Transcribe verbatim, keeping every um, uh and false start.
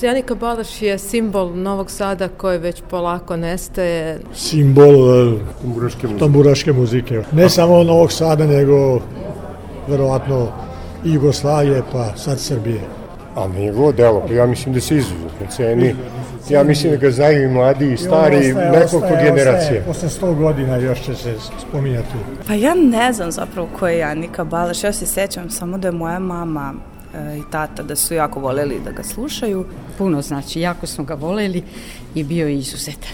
Janika Balaš je simbol Novog Sada koji već polako nestaje. Simbol tamburaške muzike. tamburaške muzike. Ne samo Novog Sada, nego verovatno i Jugoslavije, pa sad Srbije. A njegovo delo, pa ja mislim da se izuzetno ceni. Ja mislim da ga znaju i mladi i stari, i nekoliko generacija. Posle sto godina još će se spominjati. Pa ja ne znam zapravo ko je Janika Balaš. Ja se sećam samo da je moja mama i tata da su jako voljeli da ga slušaju. Puno znači, jako smo ga voljeli i bio je izuzetan.